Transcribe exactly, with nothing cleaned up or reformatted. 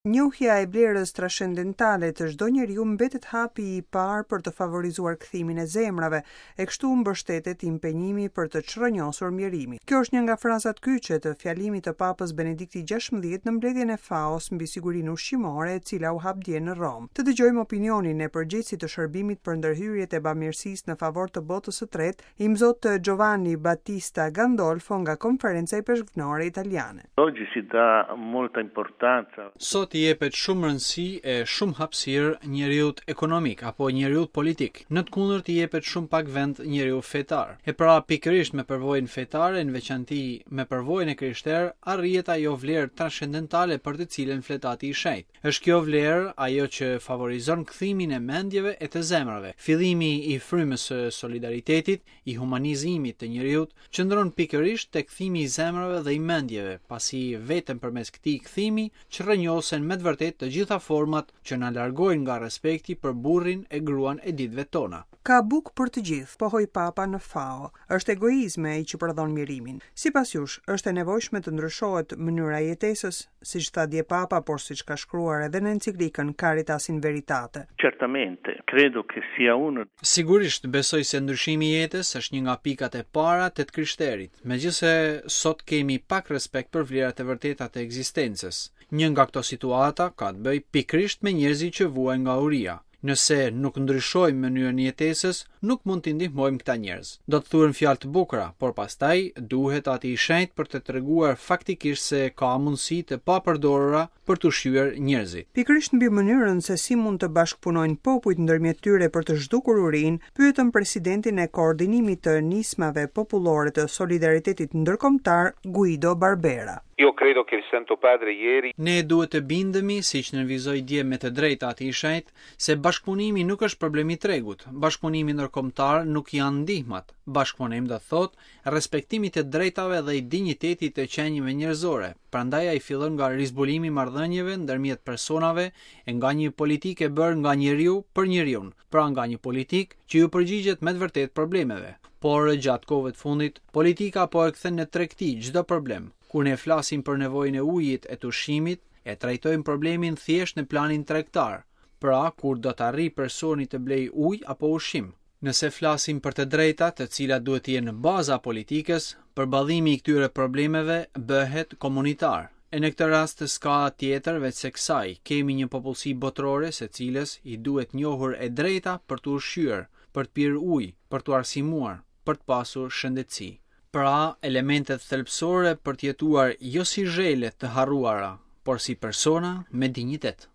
Njohja e vlerës transcendentale të çdo njeriu mbetet hapi i parë për të favorizuar kthimin e zemrave, e kështu mbështetet impenjimi për të çrrënjosur mjerimin. Kjo është një nga frazat kyçe të fjalimit të Papës Benedikti gjashtëmbëdhjetë në mbledhjen e F A O-s mbi sigurinë ushqimore, e cila u hap dje në Romë. Të dëgjojmë opinionin e përgjegjësit të shërbimit për ndërhyrjet e bamirësisë në favor të botës së tretë, Imzot Giovanni Battista Gandolfo, nga Konferenca Ipeshkvnore Italiane. Oggi si dà molta importanza. Sot i jepet shumë rëndësi e shumë hapësirë njeriut ekonomik apo njeriut politik. Në të kundërt, i jepet shumë pak vend njeriu fetar. E pra, pikërisht me përvojën fetare, në veçanti me përvojën e krishterë, arrihet ajo vlerë transcendentale për të cilën flet Ati i Shenjtë. Është kjo vlerë ajo që favorizon kthimin e mendjeve e të zemrave. Fillimi i frymës së solidaritetit, i humanizimit të njeriut, qëndron pikërisht te kthimi i zemrave dhe i mendjeve, pasi vetëm përmes këtij kthimi çrrënjosen me të vërtetë të gjitha format që na largojnë nga respekti për burrin e gruan e ditëve tona. Ka bukë për të gjithë, pohoi Papa në F A O. Është egoizmi ai që prodhon mjerimin. Sipas jush, është e nevojshme të ndryshohet mënyra e jetesës, siç tha dje Papa, por siç ka shkruar edhe në enciklikën Caritas in Veritate? Certamente, credo che sia uno Sigurisht, besoj se ndryshimi i jetës është një nga pikat e para të të krishterit, megjithëse sot kemi pak respekt për vlerat e vërteta të ekzistencës. Një nga këto situata ka të bëjë pikërisht me njerëzit që vuajnë nga uria. Nëse nuk ndryshojmë mënyrën e jetesës, nuk mund t'i ndihmojmë këta njerëz. Do të thuhen fjalë të bukura, por pastaj duhet Ati i Shenjtë për të treguar faktikisht se ka mundësi të papërdorura për të ushqyer njerëzit. Pikërisht mbi mënyrën se si mund të bashkëpunojnë popujt ndërmjet tyre për të zhdukur urinë, pyetëm presidentin e koordinimit të nismave popullore të solidaritetit ndërkombëtar, Guido Barbera. Io credo che il Santo Padre ieri Ne duhet të bindemi, siç nënvizoi dje me të drejtë Ati i Shenjtë, se bashkëpunimi nuk është problem i tregut. Bashkëpunimi ndërkombëtar nuk janë ndihmat. Bashkëpunim do të thotë respektimi të drejtave dhe i dinjitetit të qenieve njerëzore. Prandaj ai fillon nga rizbulimi i marrëdhënieve ndërmjet personave e nga një politikë e bërë nga njeriu për njeriun, pra nga një politikë që ju përgjigjet me të vërtetë problemeve. Por gjatë kohëve të fundit, politika po e kthen në tregti çdo problem. Kur ne flasim për nevojën e ujit e të ushqimit, e trajtojmë problemin thjesht në planin tregtar. Pra, kur do të arrijë personi të blejë ujë apo ushqim. Nëse flasim për të drejta, të cilat duhet të jenë në baza politikës, përballimi i këtyre problemeve bëhet komunitar. E në këtë rast s'ka tjetër veç se kësaj, kemi një popullsi botërore se cilës i duhet njohur e drejta për të ushqyer, për të pirë ujë, për të arsimuar, për të pasur shëndetësi. Pra, elementet thelbësore për të jetuar jo si zhele të harruara, por si persona me dinjitet.